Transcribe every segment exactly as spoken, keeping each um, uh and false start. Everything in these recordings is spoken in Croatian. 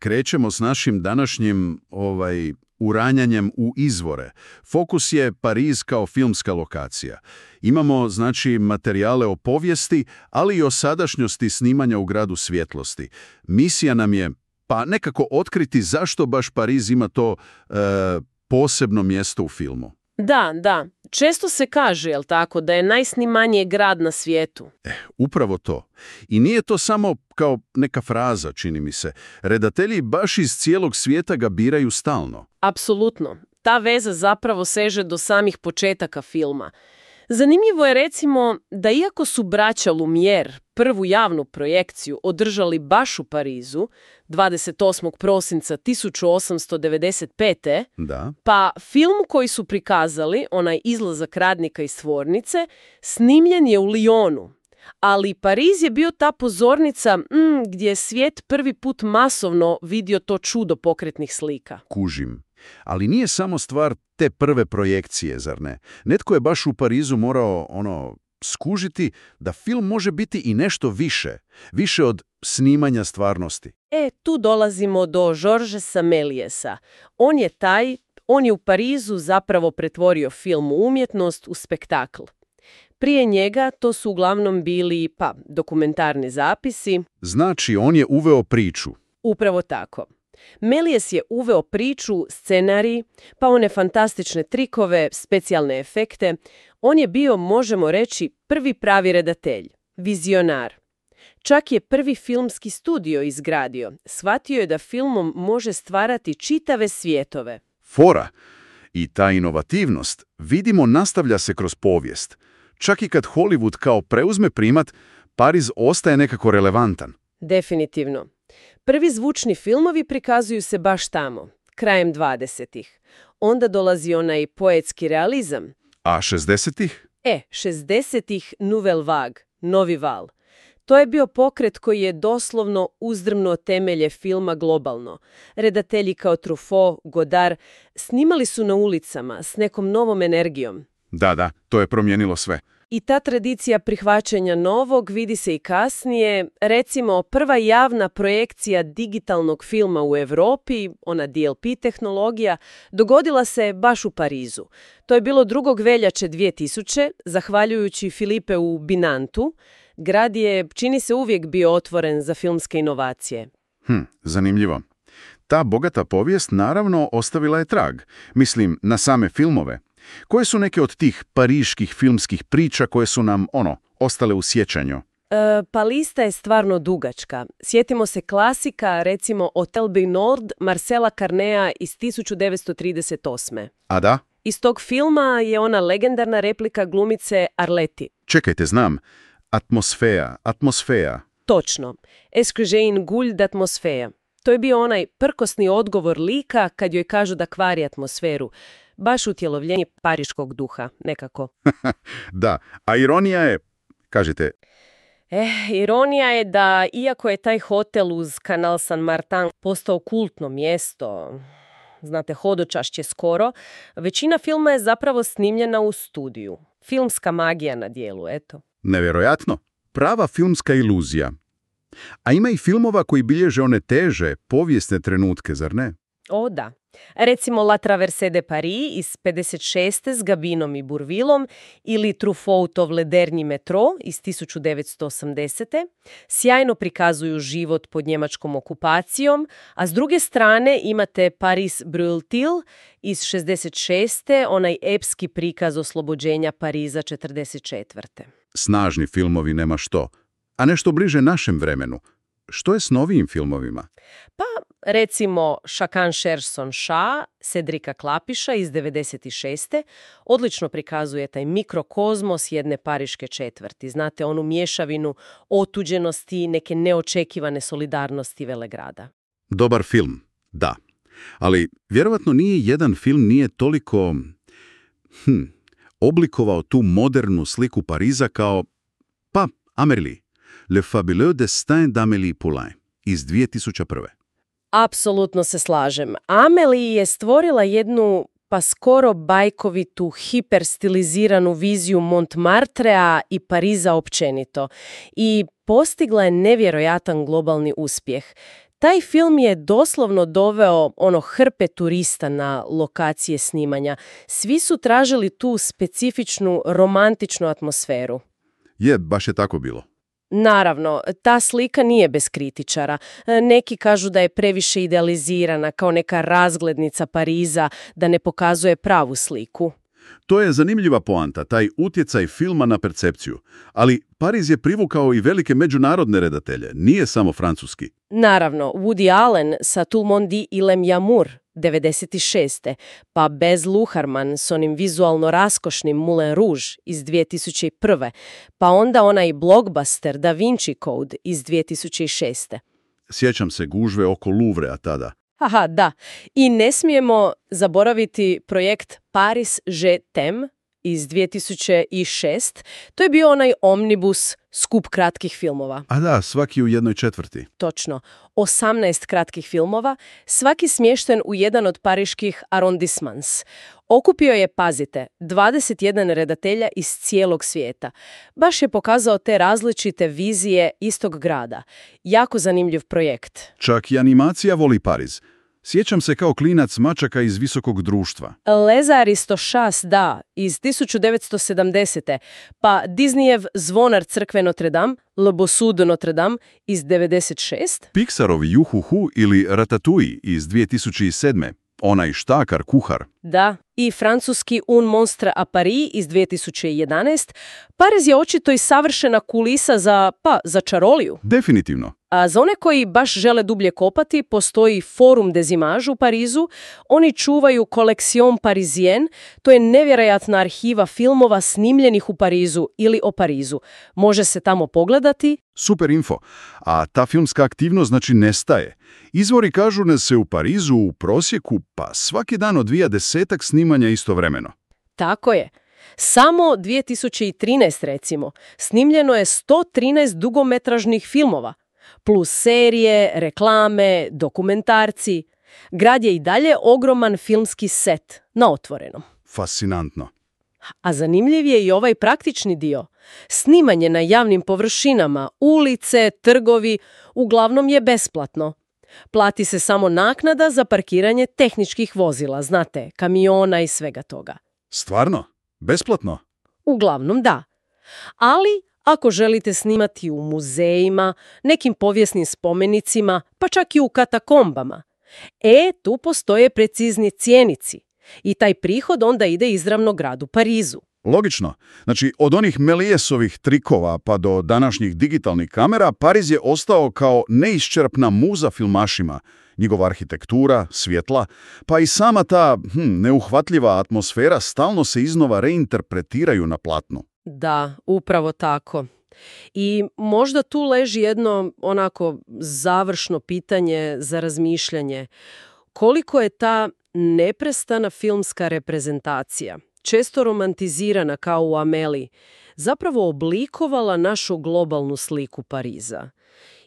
krećemo s našim današnjim ovaj, uranjanjem u izvore. Fokus je Pariz kao filmska lokacija. Imamo, znači, materijale o povijesti, ali i o sadašnjosti snimanja u gradu svjetlosti. Misija nam je, pa nekako otkriti zašto baš Pariz ima to e, posebno mjesto u filmu. Da, da. Često se kaže, jel tako, da je najsnimaniji grad na svijetu. Eh, upravo to. I nije to samo kao neka fraza, čini mi se. Redatelji baš iz cijelog svijeta ga biraju stalno. Apsolutno. Ta veza zapravo seže do samih početaka filma. Zanimljivo je recimo da iako su braća Lumière prvu javnu projekciju održali baš u Parizu dvadeset osmog prosinca tisuću osamsto devedeset pete. Da. Pa film koji su prikazali, onaj izlazak radnika iz tvornice, snimljen je u Lyonu. Ali Pariz je bio ta pozornica mm, gdje je svijet prvi put masovno vidio to čudo pokretnih slika. Kužim. Ali nije samo stvar te prve projekcije, zar ne? Netko je baš u Parizu morao ono skužiti da film može biti i nešto više. Više od snimanja stvarnosti. E, tu dolazimo do Georgesa Mélièsa. On je taj, on je u Parizu zapravo pretvorio film u umjetnost u spektakl. Prije njega to su uglavnom bili, pa, dokumentarni zapisi. Znači, on je uveo priču. Upravo tako. Méliès je uveo priču, scenarij, pa one fantastične trikove, specijalne efekte. On je bio, možemo reći, prvi pravi redatelj, vizionar. Čak je prvi filmski studio izgradio. Shvatio je da filmom može stvarati čitave svjetove. Fora. I ta inovativnost, vidimo, nastavlja se kroz povijest. Čak i kad Hollywood kao preuzme primat, Pariz ostaje nekako relevantan. Definitivno. Prvi zvučni filmovi prikazuju se baš tamo, krajem dvadesetih. Onda dolazi onaj poetski realizam. A šezdesetih? E, šezdesetih Nouvelle Vague, novi val. To je bio pokret koji je doslovno uzdrmnuo temelje filma globalno. Redatelji kao Truffaut, Godard snimali su na ulicama s nekom novom energijom. Da, da, to je promijenilo sve. I ta tradicija prihvaćanja novog vidi se i kasnije. Recimo, prva javna projekcija digitalnog filma u Europi, ona D L P tehnologija, dogodila se baš u Parizu. To je bilo drugog veljače dvije tisuće, zahvaljujući Filipeu Binantu. Grad je, čini se, uvijek bio otvoren za filmske inovacije. Hm, zanimljivo. Ta bogata povijest naravno ostavila je trag. Mislim, na same filmove. Koje su neke od tih pariških filmskih priča koje su nam, ono, ostale u sjećanju? E, pa lista je stvarno dugačka. Sjetimo se klasika, recimo Hotel Bernard Marcela Carnéa iz tisuću devetsto trideset osme. A da? Iz tog filma je ona legendarna replika glumice Arleti. Čekajte, znam. Atmosfera, atmosfera. Točno. Est-ce que j'ai une goule d'atmosphère? To je bio onaj prkosni odgovor lika kad joj kažu da kvari atmosferu. Baš utjelovljenje pariškog duha, nekako. Da, a ironija je, kažete... Eh, ironija je da, iako je taj hotel uz kanal San Martin postao kultno mjesto, znate, hodočašće skoro, većina filma je zapravo snimljena u studiju. Filmska magija na dijelu, eto. Nevjerojatno. Prava filmska iluzija. A ima i filmova koji bilježe one teže, povijesne trenutke, zar ne? O, da. Recimo La Traversée de Paris iz pedeset šeste s Gabinom i Bourvillom ili Truffautov Le Dernier Métro iz tisuću devetsto osamdesete. Sjajno prikazuju život pod njemačkom okupacijom, a s druge strane imate Paris Brûle-t-il iz šezdeset šeste, onaj epski prikaz oslobođenja Pariza četrdeset četvrte. Snažni filmovi, nema što. A nešto bliže našem vremenu. Što je s novijim filmovima? Pa, recimo, Chacun cherche son chat, Cedrika Klapiša iz devedeset šeste odlično prikazuje taj mikrokozmos jedne pariške četvrti. Znate, onu mješavinu otuđenosti, neke neočekivane solidarnosti velegrada. Dobar film, da. Ali vjerovatno nije jedan film nije toliko hm, oblikovao tu modernu sliku Pariza kao, pa, Amélie. Le fabuleux destin d'Amélie Poulain iz dvije tisuće prve. Apsolutno se slažem. Amélie je stvorila jednu pa skoro bajkovitu, hiperstiliziranu viziju Montmartrea i Pariza općenito i postigla je nevjerojatan globalni uspjeh. Taj film je doslovno doveo ono hrpe turista na lokacije snimanja. Svi su tražili tu specifičnu romantičnu atmosferu. Je, baš je tako bilo. Naravno, ta slika nije bez kritičara. Neki kažu da je previše idealizirana kao neka razglednica Pariza, da ne pokazuje pravu sliku. To je zanimljiva poanta, taj utjecaj filma na percepciju. Ali Pariz je privukao i velike međunarodne redatelje, nije samo francuski. Naravno, Woody Allen sa Tout le monde dit il aime l'amour, devedeset šeste. Pa Baz Luhrmann s onim vizualno raskošnim Moulin Rouge iz dvije tisuće prve. Pa onda onaj blockbuster Da Vinci Code iz dvije tisuće šeste. Sjećam se gužve oko Louvrea tada. Aha, da. I ne smijemo zaboraviti projekt Paris Je t'aime iz dvije tisuće šeste. To je bio onaj omnibus, skup kratkih filmova. A da, svaki u jednoj četvrti. Točno. osamnaest kratkih filmova, svaki smješten u jedan od pariških arrondissements. Okupio je, pazite, dvadeset jedan redatelja iz cijelog svijeta. Baš je pokazao te različite vizije istog grada. Jako zanimljiv projekt. Čak i animacija voli Pariz. Sjećam se kao klinac mačaka iz visokog društva. Les Aristochats, da, iz tisuću devetsto sedamdesete. Pa Disneyev Zvonar crkve Notre Dame, Le Bossu de Notre Dame iz devedeset šeste. Pixarov Juhuhu ili Ratatouille iz dvije tisuće sedme. Onaj štakar, kuhar. Da, i francuski Un monstre à Paris iz dvije tisuće jedanaeste. Pariz je očito i savršena kulisa za, pa, za čaroliju. Definitivno. A za one koji baš žele dublje kopati, postoji Forum des Images u Parizu. Oni čuvaju Collection Parisienne, to je nevjerojatna arhiva filmova snimljenih u Parizu ili o Parizu. Može se tamo pogledati. Super info. A ta filmska aktivnost znači nestaje. Izvori kažu da se u Parizu u prosjeku pa svaki dan odvija desetak snimanja istovremeno. Tako je. Samo dvije tisuće trinaeste recimo snimljeno je sto trinaest dugometražnih filmova, plus serije, reklame, dokumentarci. Grad je i dalje ogroman filmski set na otvorenom. Fascinantno. A zanimljiv je i ovaj praktični dio. Snimanje na javnim površinama, ulice, trgovi, uglavnom je besplatno. Plati se samo naknada za parkiranje tehničkih vozila, znate, kamiona i svega toga. Stvarno? Besplatno? Uglavnom da. Ali ako želite snimati u muzejima, nekim povijesnim spomenicima, pa čak i u katakombama, e, tu postoje precizni cijenici. I taj prihod onda ide izravno gradu Parizu. Logično. Znači, od onih Mélièsovih trikova pa do današnjih digitalnih kamera, Pariz je ostao kao neiščerpna muza filmašima. Njegova arhitektura, svjetla, pa i sama ta hm, neuhvatljiva atmosfera stalno se iznova reinterpretiraju na platnu. Da, upravo tako. I možda tu leži jedno onako završno pitanje za razmišljanje. Koliko je ta neprestana filmska reprezentacija, često romantizirana kao u Ameliji, zapravo oblikovala našu globalnu sliku Pariza?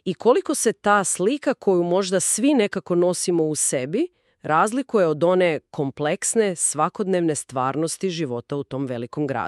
I koliko se ta slika koju možda svi nekako nosimo u sebi razlikuje od one kompleksne, svakodnevne stvarnosti života u tom velikom gradu?